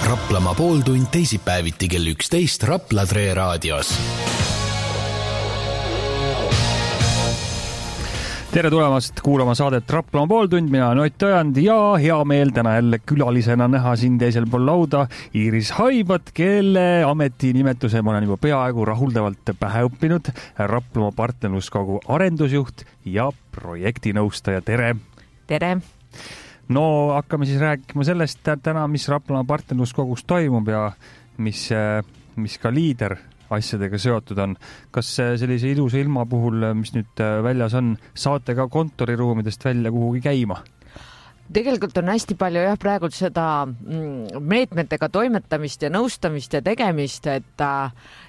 Raplamaa pooltund teisipäeviti kell 11 Rapla Tre raadios. Tere tulemast kuulama saadet Raplamaa pooltund, mina olen Ott Ojand ja hea meel täna jälle külalisena näha siin teisel pool lauda Iiris Haibat, kelle ametinimetuse ma olen juba peaaegu rahuldavalt pähe õppinud. Raplamaa partnerluskogu arendusjuht ja projektinõustaja. Tere! Tere! No hakkame siis rääkima sellest täna, mis Raplamaa partnerluskogus toimub ja mis ka liider asjadega seotud on. Kas sellise ilusa ilma puhul, mis nüüd väljas on, saate ka kontoriruumidest välja kuhugi käima? Tegelikult on hästi palju praegu seda meetmetega toimetamist ja nõustamist ja tegemist, et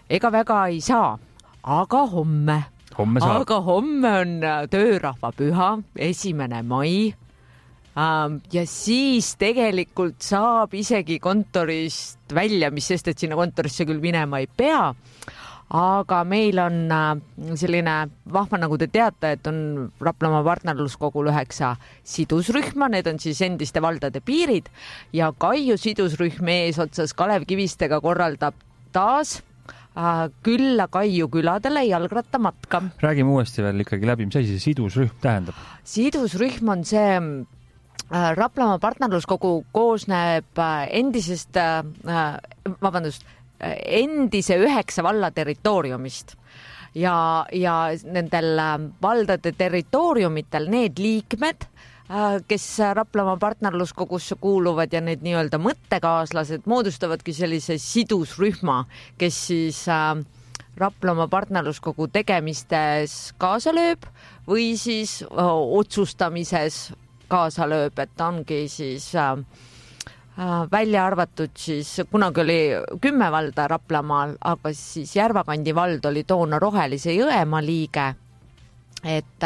ega väga ei saa, aga homme on töörahvapüha, 1. mai. Ja siis tegelikult saab isegi kontorist välja, mis sest, et sinna kontorisse küll minema ei pea, aga meil on selline vahva, nagu te teate, et on Raplamaa partnerluskogul 9 sidusrühma, need on siis endiste valdade piirid ja Kaiu sidusrühm eesotsas Kalev Kivistega korraldab taas külla Kaiu küladele jalgrattamatka. Räägime uuesti veel ikkagi läbi, mis asi see sidusrühm tähendab? Sidusrühm on see Raplamaa partnerluskogu koosneb endise 9 valla territooriumist ja nendel valdade territooriumitel need liikmed, kes Raplamaa partnerluskogusse kuuluvad ja need nii-öelda mõttekaaslased moodustavadki sellise sidusrühma, kes siis Raplamaa partnerluskogu tegemistes kaasa lööb või siis otsustamises kaasa lööb, et ongi siis välja arvatud siis, kunagi oli 10 valda Raplamaal, aga siis Järvakandi vald oli toona Rohelise Jõemaa liige, et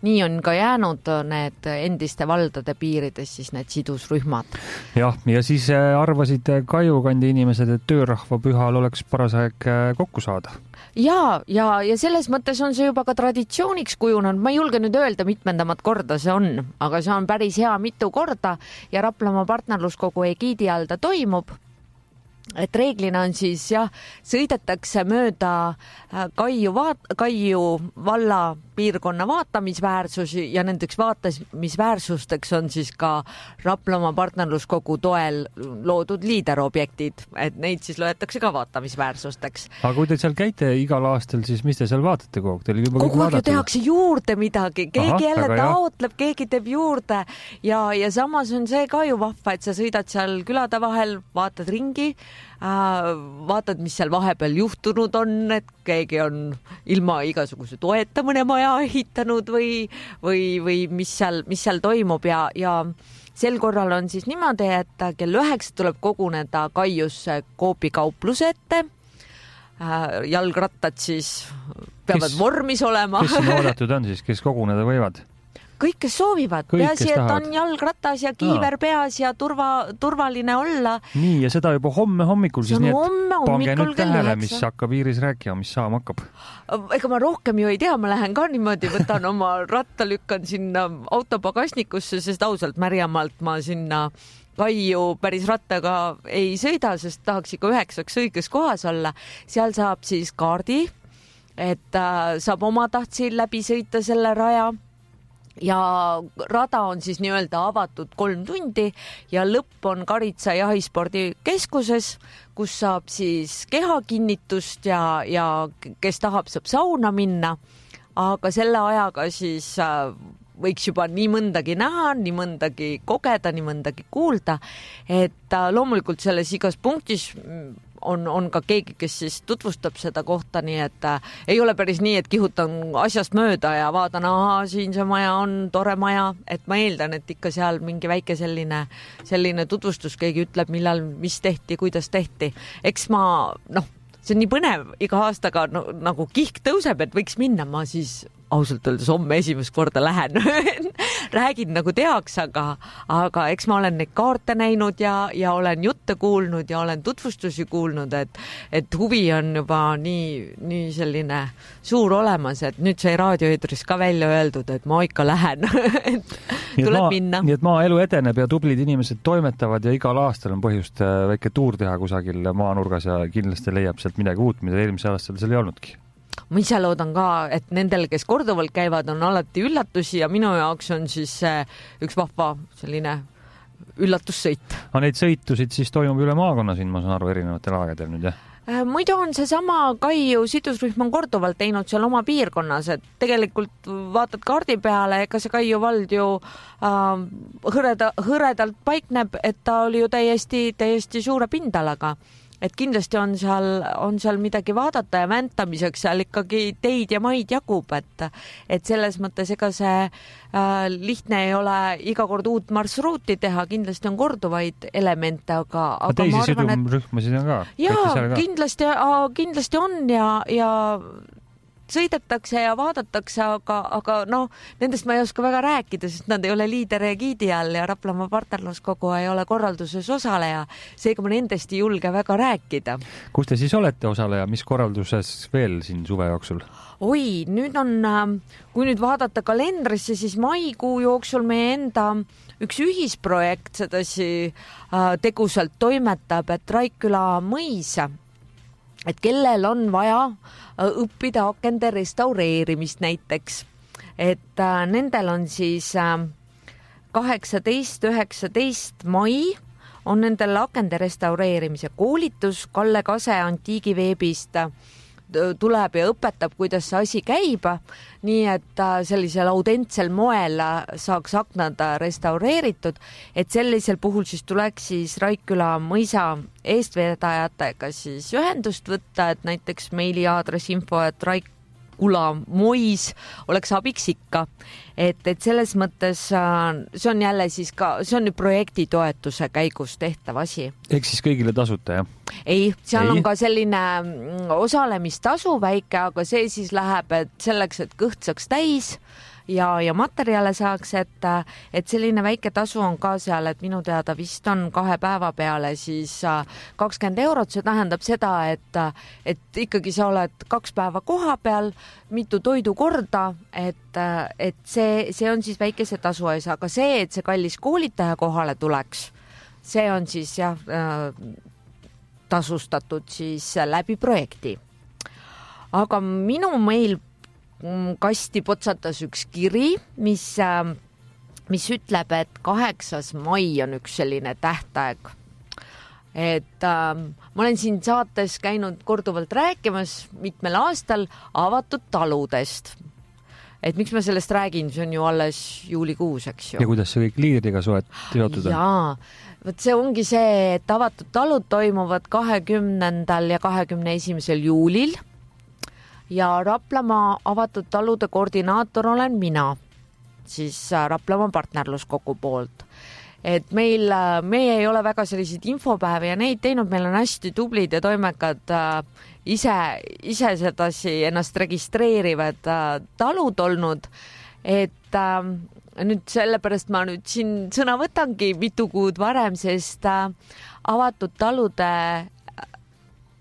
nii on ka jäänud need endiste valdade piirides siis need sidusrühmad. Jah, ja siis arvasid Kaiukandi inimesed, et töörahvapühal oleks paras aeg kokku saada. Ja selles mõttes on see juba ka traditsiooniks kujunenud. Ma ei julge nüüd öelda, mitmendamat korda see on, aga see on päris hea mitu korda ja Raplamaa partnerluskogu egiidi all ta toimub. Et reeglina on siis sõidetakse mööda Kaiu valla piirkonna vaatamisväärsusi ja nendeks vaatamisväärsusteks on siis ka Raplamaa partnerluskogu toel loodud liiderobjektid, et neid siis loetakse ka vaatamisväärsusteks. Aga kui te seal käite igal aastal, siis mis te seal vaatate kogu aeg? Kogu aeg tehakse juurde midagi, keegi jälle taotleb, keegi teeb juurde ja samas on see ka ju vahva, et sa sõidad seal külade vahel, vaatad ringi, vaatad, mis seal vahepeal juhtunud on, et keegi on ilma igasuguse toeta mõne maja ehitanud või mis seal toimub ja sel korral on siis niimoodi, et kell 9 tuleb koguneda Kaiusse Coopi kaupluse ette. Jalgrattad siis peavad vormis olema. Kes siin oodatud on siis, kes koguneda võivad? Kõik, kes soovivad. Peasi, et on jalgratas ja kiiver peas ja turvaline olla. Nii, ja seda juba homme hommikul siis nii, et pange nüüd tähele, mis hakkab Iiris rääkima, mis saama hakkab. Ega ma rohkem ju ei tea, ma lähen ka niimoodi, võtan oma ratta, lükkan sinna autopagasnikusse, sest ausalt Märjamaalt ma sinna Kaiu päris rattaga ei sõida, sest tahaks ikka 9 õiges kohas olla. Seal saab siis kaardi, et saab oma tahtsi läbi sõita selle raja. Ja rada on siis nii-öelda avatud 3 tundi ja lõpp on Karitsa jahispordikeskuses, kus saab siis kehakinnitust ja kes tahab, saab sauna minna, aga selle ajaga siis võiks juba nii mõndagi näha, nii mõndagi kogeda, nii mõndagi kuulda, et loomulikult selles igas punktis on ka keegi, kes siis tutvustab seda kohta, nii et ei ole päris nii, et kihutan asjast mööda ja vaatan, siin see maja on tore maja, et ma eeldan, et ikka seal mingi väike selline tutvustus, keegi ütleb, millal, mis tehti, kuidas tehti. Eks see on nii põnev, iga aastaga nagu kihk tõuseb, et võiks minna, ma siis ausalt öeldes homme esimest korda lähen räägin nagu teaks, aga eks ma olen neid kaarte näinud ja olen jutte kuulnud ja olen tutvustusi kuulnud, et huvi on juba nii selline suur olemas, et nüüd sai raadioeetris ka välja öeldud, et ma ikka lähen tuleb minna. Nii et maaelu edeneb ja tublid inimesed toimetavad ja igal aastal on põhjust väike tuur teha kusagil maanurgas ja kindlasti leiab sealt midagi uut, mida eelmisel aastal seal ei olnudki. Ma ise loodan ka, et nendel, kes korduvalt käivad, on alati üllatusi ja minu jaoks on siis üks vahva selline üllatussõit. Aga neid sõitusid siis toimub üle maakonna siin, ma saan aru, erinevatel aegadel nüüd, jah? Muidu on seesama Kaiu sidusrühm on korduvalt teinud seal oma piirkonnas, et tegelikult vaatad kaardi peale, ega see Kaiu vald ju hõredalt paikneb, et ta oli ju täiesti suure pindalaga. Et kindlasti on seal midagi vaadata ja väntamiseks seal ikkagi teid ja maid jagub, et selles mõttes ega see lihtne ei ole iga kord uut marsruuti teha, kindlasti on korduvaid elemente, aga teisi ma arvan, sidumrühmasid on ka? Jaa, kindlasti on ja sõidetakse ja vaadatakse, aga nendest ma ei oska väga rääkida, sest nad ei ole liideri giidi all ja Raplamaa partnerluskogu ei ole korralduses osaleja. Seega ma nendest ei julge väga rääkida. Kus te siis olete osaleja? Mis korralduses veel siin suve jooksul? Oi, nüüd on, kui nüüd vaadata kalendrisse, siis maikuu jooksul meie enda üks ühisprojekt sedasi tegusalt toimetab, et Raikküla mõis, et kellel on vaja õppida akende restaureerimist näiteks, et nendel on siis 18-19 mai on nendel akende restaureerimise koolitus. Kalle Kase Antiigiveebist tuleb ja õpetab, kuidas see asi käib, nii et sellisel autentsel moel saaks aknad restaureeritud, et sellisel puhul siis tuleks siis Raikküla mõisa eestvedajatega siis ühendust võtta, et näiteks meiliaadress info@raikulamois oleks abiks ikka, et selles mõttes see on jälle siis ka, see on nüüd projekti toetuse käigus tehtav asi. Ehk siis kõigile tasuta, jah? Ei, seal on ka selline osalemistasu väike, aga see siis läheb, et selleks, et kõht saaks täis ja materjale saaks, et selline väike tasu on ka seal, et minu teada vist on 2 päeva peale siis 20 €. See tähendab seda, et ikkagi sa oled 2 päeva koha peal, mitu toidukorda, et see on siis väikese tasu ees, aga see, et see kallis koolitaja kohale tuleks, see on siis jah, tasustatud siis läbi projekti. Aga minu meil kasti potsatas üks kiri, mis ütleb, et 8. mai on üks selline tähtaeg. Et ma olen siin saates käinud korduvalt rääkimas mitmel aastal avatud taludest. Et miks ma sellest räägin, see on ju alles juulikuus, eks ju. Ja kuidas see kõik liidriga seotud on? Jaa, võt see ongi see, et avatud talud toimuvad 20. ja 21. juulil ja Raplamaa avatud talude koordinaator olen mina, siis Raplamaa partnerluskogu poolt. Et meie ei ole väga selliseid infopäevi ja neid teinud, meil on hästi tublid ja toimekad ise sedasi ennast registreerivad talud olnud, et nüüd sellepärast ma nüüd siin sõna võtangi mitu kuud varem, sest avatud talude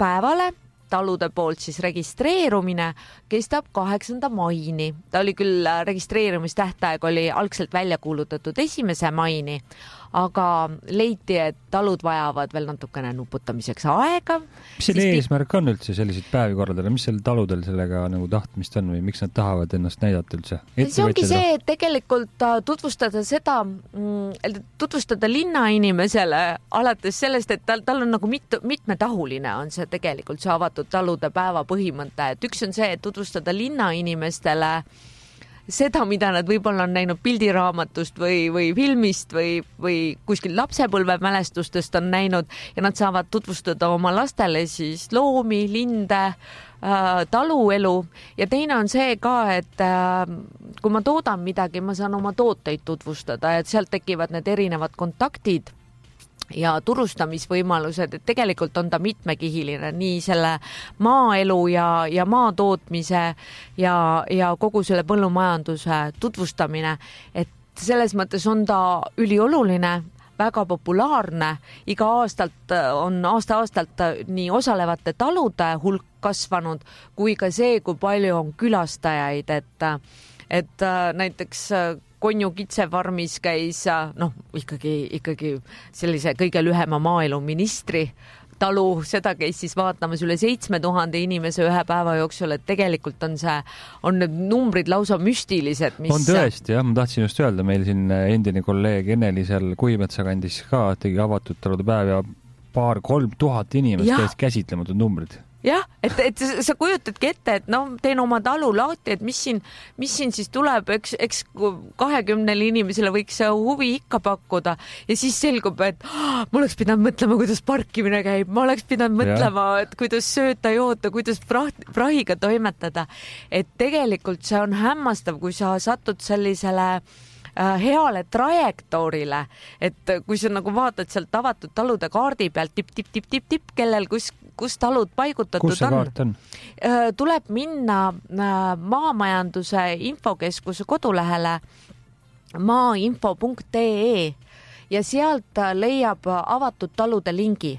päevale talude poolt siis registreerumine kestab 8. maini. Ta oli küll registreerumistähtaeg oli algselt välja kuulutatud 1. maini, aga leiti, et talud vajavad veel natukene nuputamiseks aega. Mis selle eesmärk on üldse selliseid päevi korraldada? Mis seal taludel sellega nagu tahtmist on või miks nad tahavad ennast näidata üldse? See ongi see, et tegelikult tutvustada linnainimesele alates sellest, et tal on nagu mitmetahuline on see tegelikult see avatud talude päeva põhimõte, et üks on see, et tutvustada linnainimestele seda, mida nad võib-olla on näinud pildiraamatust või filmist või kuskil lapsepõlvemälestustest on näinud ja nad saavad tutvustada oma lastele siis loomi, linde, taluelu ja teine on see ka, et kui ma toodan midagi, ma saan oma tooteid tutvustada, et sealt tekivad need erinevad kontaktid ja turustamisvõimalused, et tegelikult on ta mitmekihiline, nii selle maaelu ja maatootmise ja kogu selle põllumajanduse tutvustamine, et selles mõttes on ta ülioluline, väga populaarne, iga aastalt on aasta-aastalt nii osalevate talude hulk kasvanud kui ka see, kui palju on külastajaid, et näiteks Konju kitsefarmis käis ikkagi sellise kõige lühema maaeluministri talu, seda käis siis vaatamas üle 7000 inimese ühe päeva jooksul, et tegelikult on need numbrid lausa müstilised. On tõesti, jah, ma tahtsin just öelda, meil siin endine kolleeg Eneli seal Kuimetsa kandis ka tegi avatud talude päev ja 2,000–3,000 inimest käis käsitlematud numbrid. Jah, et sa kujutadki ette, et teen oma talu lahti, et mis siin siis tuleb, eks 20 inimesele võiks huvi ikka pakkuda ja siis selgub, et ma oleks pidanud mõtlema, kuidas parkimine käib, ma oleks pidanud mõtlema, et kuidas sööta, joota, kuidas prahiga toimetada. Et tegelikult see on hämmastav, kui sa satud sellisele heale trajektoorile, et kui sa nagu vaatad sealt avatud talude kaardi pealt tipp, kellel kus talud paigutatud on? Tuleb minna Maamajanduse infokeskuse kodulehele maainfo.ee ja sealt leiab avatud talude lingi.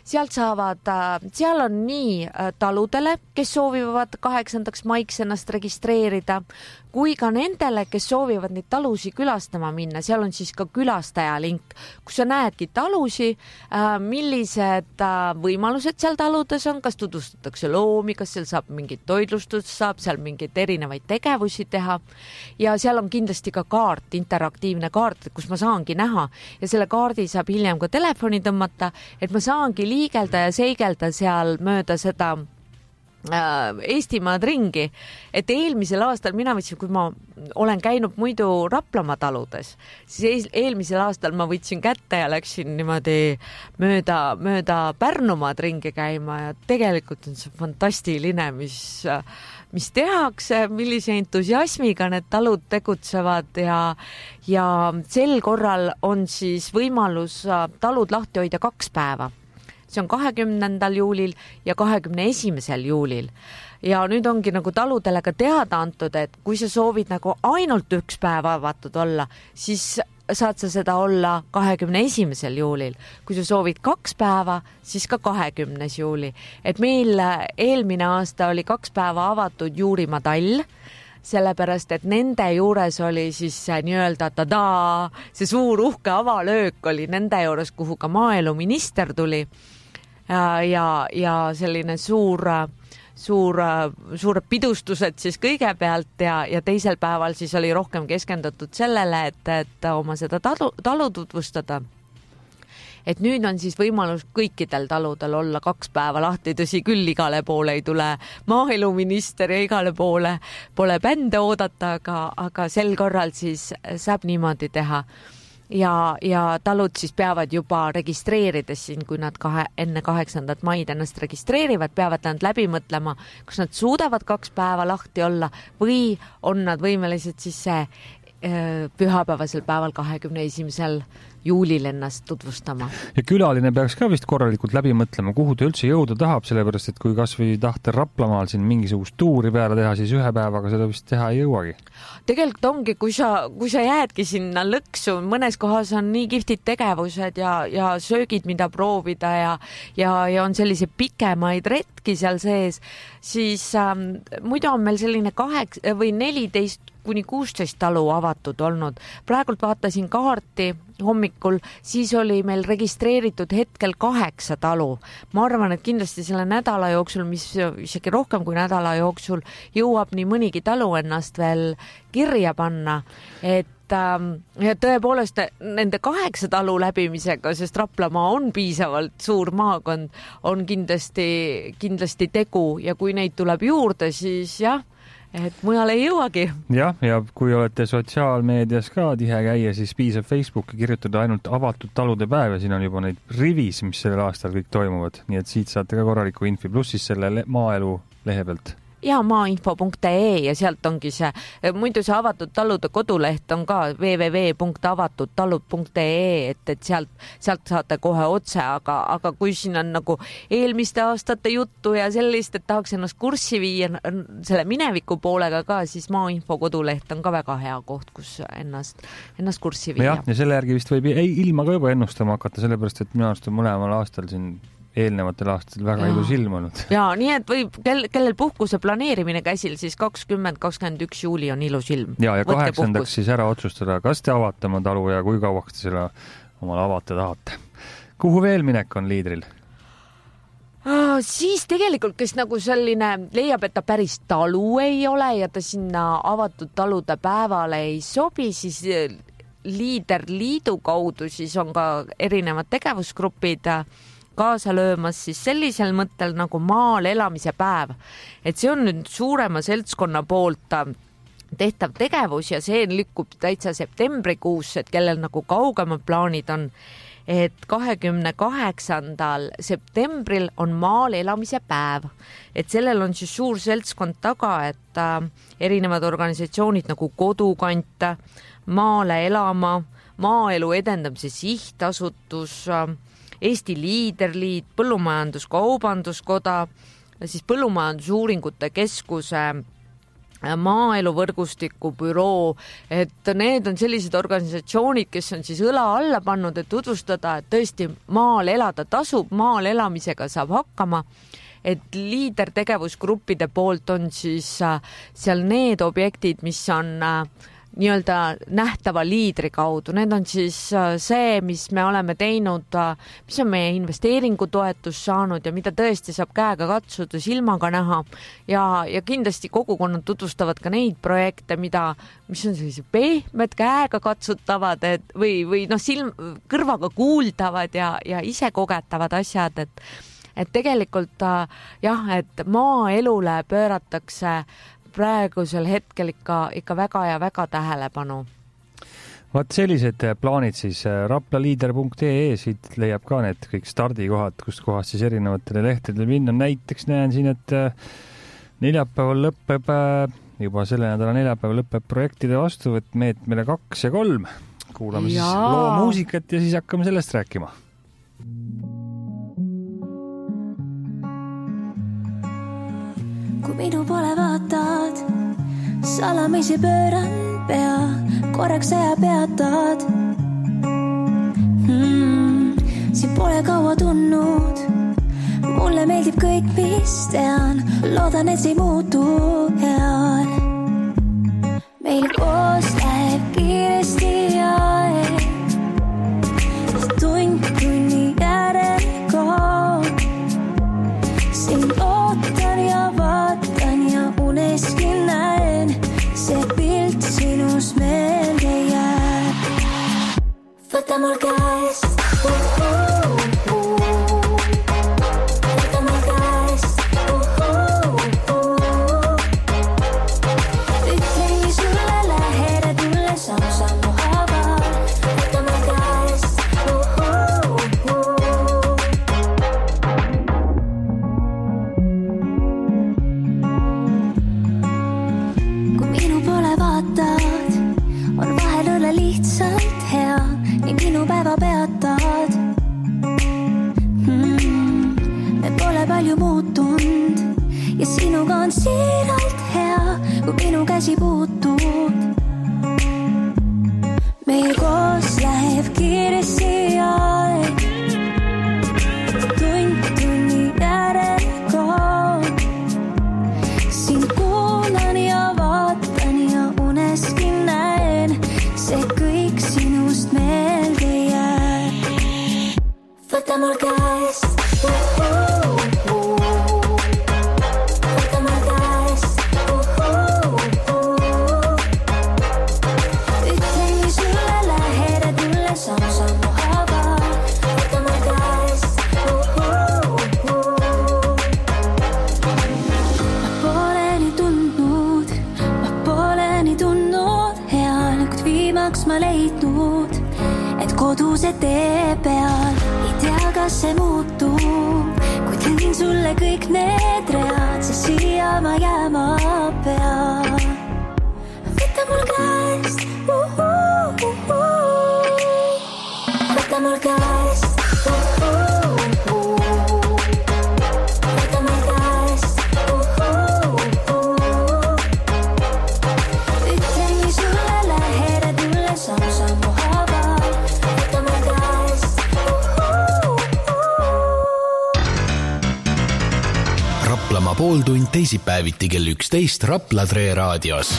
Seal on nii taludele, kes soovivad 8. maiks ennast registreerida, kui ka nendele, kes soovivad neid talusi külastama minna. Seal on siis ka külastaja link, kus sa näedki talusi, millised võimalused seal taludes on, kas tutvustatakse loomi, kas seal saab mingit toidlustust, saab seal mingeid erinevaid tegevusi teha. Ja seal on kindlasti ka kaart, interaktiivne kaart, kus ma saangi näha ja selle kaardi saab hiljem ka telefoni tõmmata, et ma saangi liigelda ja seigelda seal mööda seda Eestimaad ringi, et eelmisel aastal mina võtsin, kui ma olen käinud muidu Raplamaa taludes, siis eelmisel aastal ma võtsin kätte ja läksin niimoodi mööda Pärnumaad ringi käima ja tegelikult on see fantastiline, mis tehakse, millise entusiasmiga need talud tegutsevad ja sel korral on siis võimalus talud lahti hoida 2 päeva. See on 20. juulil ja 21. juulil. Ja nüüd ongi nagu taludele ka teada antud, et kui sa soovid nagu ainult 1 päev avatud olla, siis saad sa seda olla 21. juulil. Kui sa soovid 2 päeva, siis ka 20. juuli. Et meil eelmine aasta oli 2 päeva avatud Juurimaa tall, sellepärast, et nende juures oli siis nii-öelda see suur uhke avalöök oli nende juures, kuhu ka maaeluminister tuli ja selline suured pidustused siis kõigepealt ja teisel päeval siis oli rohkem keskendatud sellele, et oma seda talu tutvustada. Et nüüd on siis võimalus kõikidel taludel olla 2 päeva lahti, tõsi küll, igale poole ei tule maaeluminister ja igale poole pole bände oodata, aga sel korral siis saab niimoodi teha. Ja talud siis peavad juba registreerides siin, kui nad enne 8. maid ennast registreerivad, peavad nad läbi mõtlema, kas nad suudavad 2 päeva lahti olla või on nad võimelised siis pühapäevasel päeval 21. juulil ennast tutvustama. Ja külaline peaks ka vist korralikult läbi mõtlema, kuhu ta üldse jõuda tahab, sellepärast, et kui kas või tahta Raplamaal siin mingisugust tuuri peale teha, siis 1 päevaga seda vist teha ei jõuagi. Tegelikult ongi, kui sa jäädki sinna lõksu, mõnes kohas on nii kihvtid tegevused ja söögid, mida proovida ja on sellise pikemaid retki seal sees, siis muidu on meil selline 8 või 14 kuni 16 talu avatud olnud. Praegult vaatasin kaarti hommikul, siis oli meil registreeritud hetkel 8 talu. Ma arvan, et kindlasti selle nädala jooksul, mis isegi rohkem kui nädala jooksul, jõuab nii mõnigi talu ennast veel kirja panna, et ja tõepoolest nende 8 talu läbimisega, sest Raplamaa on piisavalt suur maakond, on kindlasti tegu ja kui neid tuleb juurde, siis jah, et mujal ei jõuagi. Ja kui olete sotsiaalmeedias ka tihe käia, siis piisab Facebooki kirjutada ainult avatud talude päev ja siin on juba neid rivis, mis sellel aastal kõik toimuvad. Nii et siit saate ka korraliku infi, pluss siis selle maaelu lehe pealt. Ja maainfo.ee ja sealt ongi see, muidu see avatud talude koduleht on ka www.avatudtalud.ee, et sealt saate kohe otse, aga kui siin on nagu eelmiste aastate juttu ja sellist, et tahaks ennast kurssi viia selle mineviku poolega ka, siis maainfo koduleht on ka väga hea koht, kus ennast kurssi viia. Ja selle järgi vist võib ilma ka juba ennustama hakata, sellepärast, et minu arust on mõlemal aastal siin eelnevatel aastatel väga ilus ilm olnud. Ja nii, et võib, kellel puhkuse planeerimine käsil, siis 20-21 juuli on ilus ilm. Ja 8. siis ära otsustada, kas te avate oma talu ja kui kauaks te selle omale avate tahate. Kuhu veel minek on liidril? Siis tegelikult, kes nagu selline leiab, et ta päris talu ei ole ja ta sinna avatud talude päevale ei sobi, siis liiderliidu kaudu siis on ka erinevad tegevusgrupid kaasa löömas siis sellisel mõttel nagu maal elamise päev. Et see on nüüd suurema seltskonna poolt tehtav tegevus ja see lükkub täitsa septembrikuus, et kellel nagu kaugemad plaanid on, et 28. septembril on maal elamise päev. Et sellel on siis suur seltskond taga, et erinevad organisatsioonid nagu Kodukant, Maale elama, Maaelu edendamise sihtasutus, Eesti Liiderliit, Põllumajanduskaubanduskoda, siis Põllumajandusuuringute Keskuse Maaelu võrgustiku büroo, et need on sellised organisatsioonid, kes on siis õla alla pannud, et tutvustada, et tõesti maal elada tasub, maal elamisega saab hakkama, et liidertegevusgruppide poolt on siis seal need objektid, mis on nii-öelda nähtava liidri kaudu. Need on siis see, mis me oleme teinud, mis on meie investeeringutoetus saanud ja mida tõesti saab käega katsuda, silmaga näha ja kindlasti kogukonnad tutvustavad ka neid projekte, mis on sellise pehmed, käega katsutavad või kõrvaga kuuldavad ja ise kogetavad asjad, et tegelikult et maaelule pööratakse praegusel hetkel ikka väga ja väga tähelepanu. Vaat sellised plaanid siis raplaliider.ee, siit leiab ka need kõik stardikohad, kust kohast siis erinevatele lehtedele minna. Näiteks näen siin, et neljapäeval lõpeb, juba selle nädala neljapäeval lõpeb projektide vastuvõtt meetmele 2 ja 3. Kuulame siis loo muusikat ja siis hakkame sellest rääkima. Kui minu pole vaatad, salamisi pööran pea, korraks aja peatad. Siin pole kaua tunnud, mulle meeldib kõik, mis tean, loodan, et see ei muutu heal. Meil koos läheb kiiresti aeg, tund tunni järel kaob. Siin ootan ja vaatan ja uneski näen, see pilt sinus meelde jääb. Võta mul käest, võta mul käest, ütlen sulle läheda tulle sammu haaval. Võta mul käest, kui minu pole vaatad, on vahel õlle lihtsalt hea, nii minu päeva peatad. Me pole palju muutunud ja sinuga on siiralt hea, kui minu käsi puutud. Meil koos läheb kiiresti aeg, tund tunni järel kaob. Siin kuulan ja vaatan ja uneski näen, see kõik sinust meelde jääb. Võta mul käest, võta mul käest, ütlen sulle läheda tulle sammu haaval. Võta mul käest, ma pole nii tundnud heal, kuid viimaks ma leidnud, et koduse tee peal ei tea, kas see muutub, kuid teen sulle kõik need read, sest siia ma jääma pean. Võta mul käest, võta mul käest, võta mul käest, ütlen nii sulle lähedad mulle sammu haaval, võta mul käest. Raplamaa pooltund teisipäeviti kell 11 Rapla Tre raadios.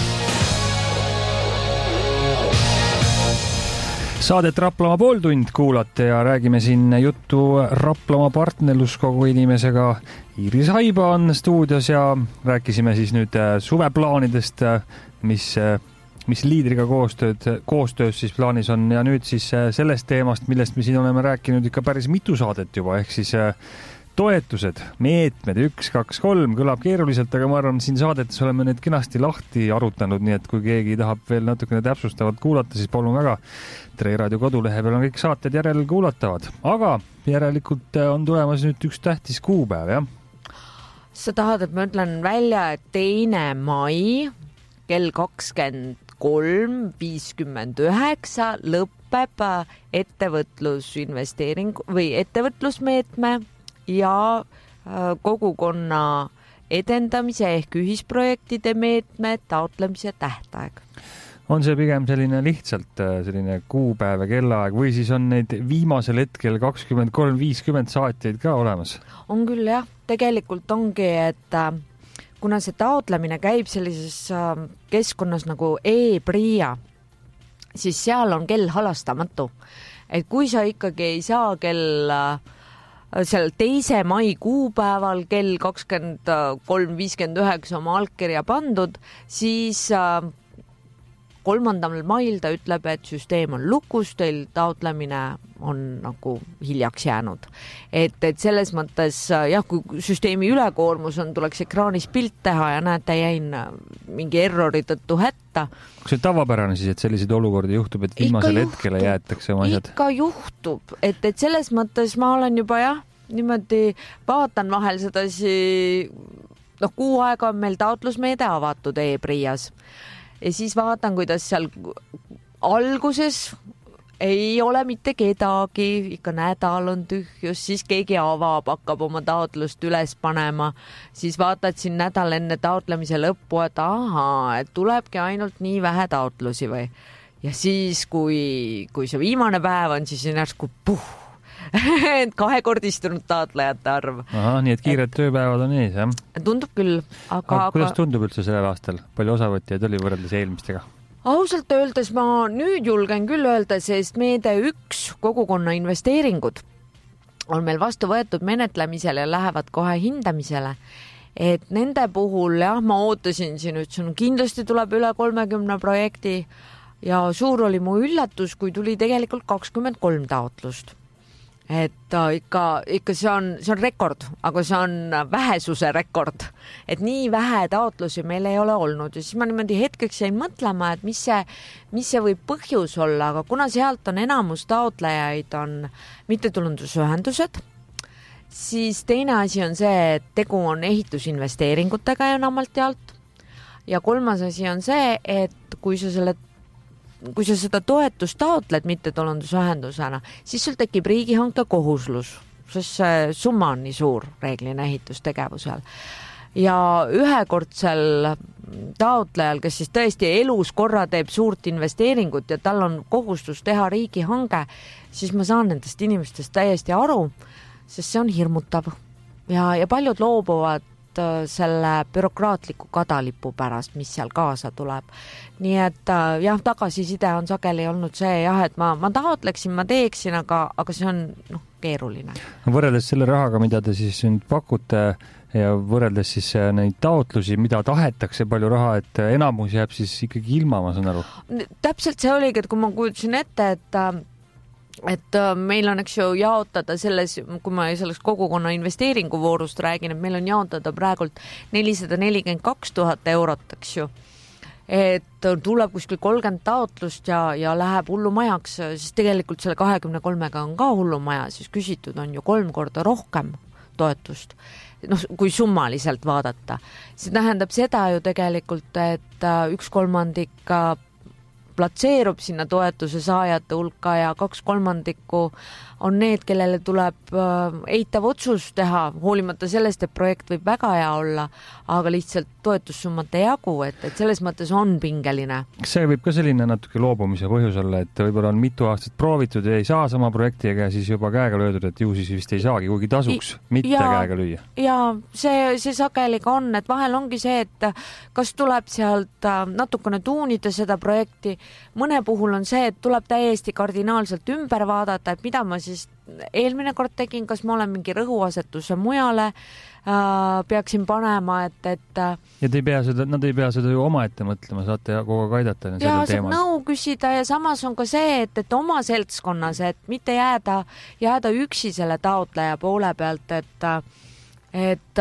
Saadet Raplamaa pooltund kuulate ja räägime siin juttu Raplamaa partnerluskogu inimesega. Iiris Haiba on stuudios ja rääkisime siis nüüd suveplaanidest, mis liidriga koostöös siis plaanis on ja nüüd siis sellest teemast, millest me siin oleme rääkinud ikka päris mitu saadet juba, ehk siis toetused, meetmed 1, 2, 3 kõlab keeruliselt, aga ma arvan, siin saadetes oleme need kenasti lahti arutanud, nii et kui keegi tahab veel natukene täpsustavalt kuulata, siis palun väga. Tre raadio kodulehe peal on kõik saated järel kuulatavad, aga järelikult on tulemas nüüd üks tähtis kuupäev, jah? Sa tahad, et ma ütlen välja, et 2. mai kell 23:59 lõpeb ettevõtlusinvesteering või ettevõtlusmeetme ja kogukonna edendamise ehk ühisprojektide meetme taotlemise tähtaeg. On see pigem selline lihtsalt selline kuupäev ja kellaaeg või siis on neid viimasel hetkel 23:50 saatjaid ka olemas? On küll jah, tegelikult ongi, et kuna see taotlemine käib sellises keskkonnas nagu e-PRIA, siis seal on kell halastamatu. Et kui sa ikkagi ei saa seal 2. mai kuupäeval kell 23:59 oma allkirja pandud, siis 3. mail ta ütleb, et süsteem on lukus, teil taotlemine on nagu hiljaks jäänud. Et selles mõttes, jah, kui süsteemi ülekoormus on, tuleks ekraanis pilt teha ja näete, jäin mingi errori tõttu hätta. Kas see tavapärane siis, et selliseid olukordi juhtub, et viimasel hetkele jäetakse oma asjad? Ikka juhtub, et selles mõttes ma olen juba niimoodi vaatan vahel sedasi, kuu aega on meil taotlusmeede avatud e-PRIAs. Ja siis vaatan, kuidas seal alguses ei ole mitte kedagi, ikka nädal on tühjus, siis keegi avab, hakkab oma taotlust üles panema, siis vaatad siin nädal enne taotlemise lõppu, et et tulebki ainult nii vähe taotlusi või. Ja siis, kui see viimane päev on, siis järsku kahekordistunud taotlejate arv. Nii et kiired tööpäevad on ees, jah? Tundub küll, aga kuidas tundub üldse sellel aastal? Palju osavõtjaid oli võrreldes eelmistega? Ausalt öeldes ma nüüd julgen küll öelda, sest meede 1 kogukonna investeeringud on meil vastu võetud menetlemisele ja lähevad kohe hindamisele. Et nende puhul, jah, ma ootasin siin, ütlesin, kindlasti tuleb üle 30 projekti ja suur oli mu üllatus, kui tuli tegelikult 23 taotlust. Et ikka see on rekord, aga see on vähesuse rekord, et nii vähe taotlusi meil ei ole olnud ja siis ma niimoodi hetkeks jäin mõtlema, et mis see võib põhjus olla, aga kuna sealt on enamus taotlejaid on mittetulundusühendused, siis teine asi on see, et tegu on ehitusinvesteeringutega enamalt jaolt ja kolmas asi on see, et kui sa seda toetust taotled mittetulundusühendusena, siis sul tekib riigihanke kohuslus, sest see summa on nii suur reeglina ehitustegevusel. Ja ühekordsel taotlejal, kes siis tõesti elus korra teeb suurt investeeringut ja tal on kohustus teha riigihange, siis ma saan nendest inimestest täiesti aru, sest see on hirmutav. Ja paljud loobuvad selle bürokraatliku kadalipu pärast, mis seal kaasa tuleb. Nii et jah, tagasiside on sageli olnud see, jah, et ma taotleksin, ma teeksin, aga see on keeruline. Võrreldes selle rahaga, mida te siis nüüd pakute ja võrreldes siis neid taotlusi, mida tahetakse palju raha, et enamus jääb siis ikkagi ilma, ma saan aru. Täpselt see oligi, et kui ma kujutasin ette, et meil on, eks ju, jaotada selles, kui ma selles kogukonna investeeringuvoorust räägin, et meil on jaotada praegult 442 000 eurot, eks ju. Et tuleb kuskil 30 taotlust ja läheb hullumajaks, siis tegelikult selle 23-ga on ka hullumaja, siis küsitud on ju 3 korda rohkem toetust. Kui summaliselt vaadata. See tähendab seda ju tegelikult, et 1/3 platseerub sinna toetuse saajate hulka ja 2/3 on need, kellele tuleb eitav otsus teha, hoolimata sellest, et projekt võib väga hea olla, aga lihtsalt toetussummat ei jagu, et selles mõttes on pingeline. See võib ka selline natuke loobumise põhjus olla, et võib-olla on mitu aastat proovitud ja ei saa sama projektiga ja siis juba käega löödud, et ju siis vist ei saagi, kuigi tasuks mitte käega lüüa. Ja see sageli ka on, et vahel ongi see, et kas tuleb sealt natukene tuunida seda projekti. Mõne puhul on see, et tuleb täiesti kardinaalselt ümber vaadata, et mida ma siis eelmine kord tegin, kas ma olen mingi rõhuasetuse mujale peaksin panema, et ja nad ei pea seda ju omaette mõtlema, saate kogu aeg aidata ja saab nõu küsida ja samas on ka see, et oma seltskonnas, et mitte jääda üksi selle taotleja poole pealt, et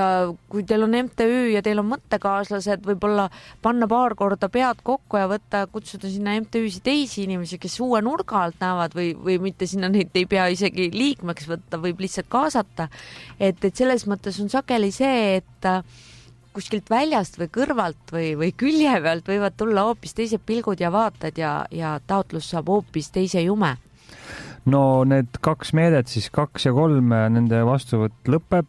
kui teil on MTÜ ja teil on mõttekaaslased, võib-olla panna paar korda pead kokku ja kutsuda sinna MTÜ-si teisi inimesi, kes uue nurga alt näevad või mitte sinna neid ei pea isegi liikmeks võtta, võib lihtsalt kaasata. Et selles mõttes on sageli see, et kuskilt väljast või kõrvalt või külje pealt võivad tulla hoopis teised pilgud ja vaated ja taotlus saab hoopis teise jume. No need 2 meedet, siis 2 ja 3, nende vastuvõtt lõpeb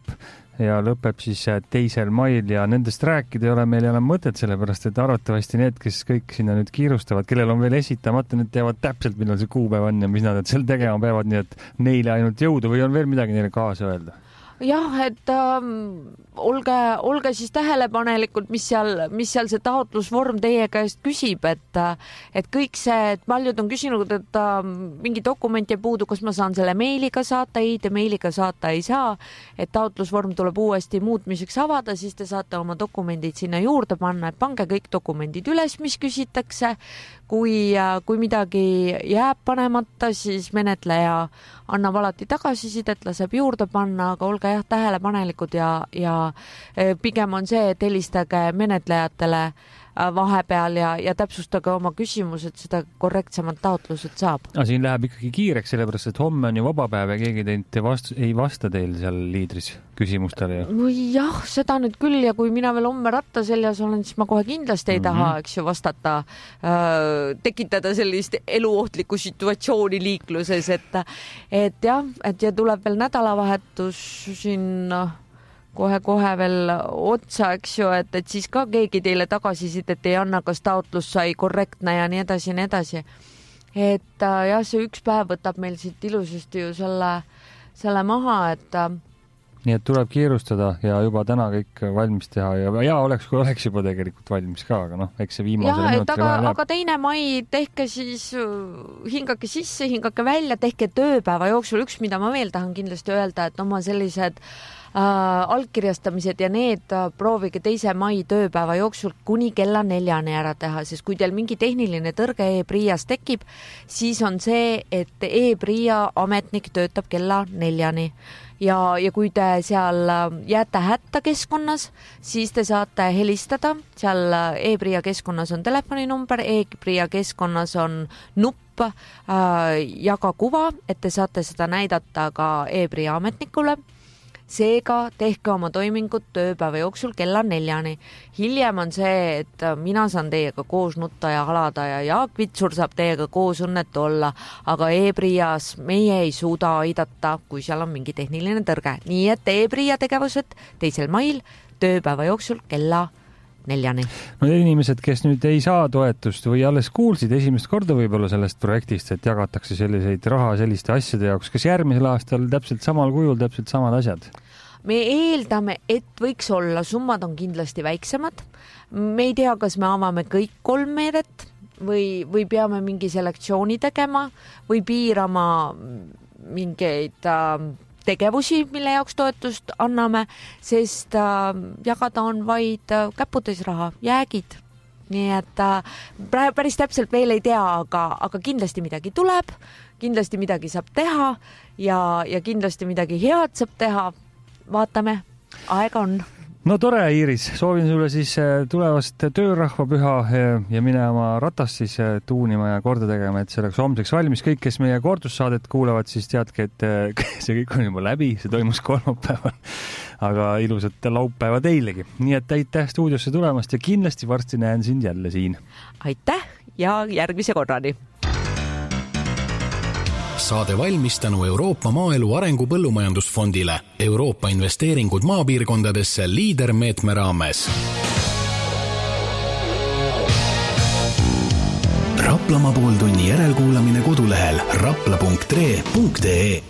ja lõpeb siis 2. mail ja nendest rääkida ei ole meil enam mõtet, sellepärast et arvatavasti need, kes kõik sinna nüüd kiirustavad, kellel on veel esitamata, need teavad täpselt, millal see kuupäev on ja mis nad seal tegema peavad, nii et neile ainult jõudu või on veel midagi neile kaasa öelda? Jah, et olge siis tähelepanelikult, mis seal see taotlusvorm teie käest küsib, et kõik see, et paljud on küsinud, et mingi dokument jäi puudu, kas ma saan selle meiliga saata, ei, te meiliga saata ei saa, et taotlusvorm tuleb uuesti muutmiseks avada, siis te saate oma dokumendid sinna juurde panna, et pange kõik dokumendid üles, mis küsitakse. Kui midagi jääb panemata, siis menetleja annab alati tagasisidet, laseb juurde panna, aga olge tähelepanelikud ja pigem on see, et helistage menetlejatele vahepeal ja täpsustage oma küsimused, seda korrektsemad taotlused saab. Siin läheb ikkagi kiireks, sellepärast, et homme on ju vabapäev ja keegi ei vasta teil seal liidris küsimustele. Jah, seda nüüd küll ja kui mina veel homme ratta seljas olen, siis ma kohe kindlasti ei taha, eks ju, vastata, tekitada sellist eluohtlikku situatsiooni liikluses, et tuleb veel nädalavahetus siin kohe veel otsa, eks ju, et siis ka keegi teile tagasisidet ei anna, kas taotlus sai korrektne ja nii edasi. Et jah, see üks päev võtab meil siit ilusasti ju selle maha, et nii et tuleb kiirustada ja juba täna kõik valmis teha ja oleks juba tegelikult valmis ka, aga eks see viimasel minutil vahel jääb. Aga 2. mai tehke siis, hingake sisse, hingake välja, tehke tööpäeva jooksul. Üks, mida ma veel tahan kindlasti öelda, et oma sellised allkirjastamised ja need proovige 2. mai tööpäeva jooksul kuni kella 4 ära teha, sest kui teil mingi tehniline tõrge e-PRIA-s tekib, siis on see, et e-PRIA ametnik töötab kella 4 ja kui te seal jääte hätta keskkonnas, siis te saate helistada, seal e-PRIA keskkonnas on telefoninumber, e-PRIA keskkonnas on nupp jaga kuva, et te saate seda näidata ka e-PRIA ametnikule. Seega tehke oma toimingut tööpäeva jooksul kella 4. Hiljem on see, et mina saan teiega koos nutta ja halada ja Jaak Vitsur saab teiega koos õnnetu olla, aga e-PRIA-s meie ei suuda aidata, kui seal on mingi tehniline tõrge. Nii et e-PRIA tegevused 2. mail tööpäeva jooksul kella 4. No inimesed, kes nüüd ei saa toetust või alles kuulsid esimest korda võib-olla sellest projektist, et jagatakse selliseid raha selliste asjade jaoks, kas järgmisel aastal täpselt samal kujul, täpselt samad asjad? Me eeldame, et võiks olla, summad on kindlasti väiksemad. Me ei tea, kas me avame kõik 3 meedet või peame mingi selektsiooni tegema või piirama mingeid tegevusi, mille jaoks toetust anname, sest jagada on vaid käputäis raha, jäägid. Nii et päris täpselt veel ei tea, aga kindlasti midagi tuleb, kindlasti midagi saab teha ja kindlasti midagi head saab teha. Vaatame, aega on. No tore, Iiris, soovin sulle siis tulevast töörahvapüha ja mine oma ratast siis tuunima ja korda tegema, et see oleks homseks valmis. Kõik, kes meie kordussaadet kuulavad, siis teadke, et see kõik on juba läbi, see toimus kolmapäeval, aga ilusat laupäeva teilegi. Nii et aitäh stuudiosse tulemast ja kindlasti varsti näen sind jälle siin. Aitäh ja järgmise korrani. Saade valmis tänu Euroopa Maaelu Arengu Põllumajandusfondile, Euroopa investeeringud maapiirkondadesse liidermeetme raames. Raplamaa pooltunni järelkuulamine kodulehel rapla.tre.ee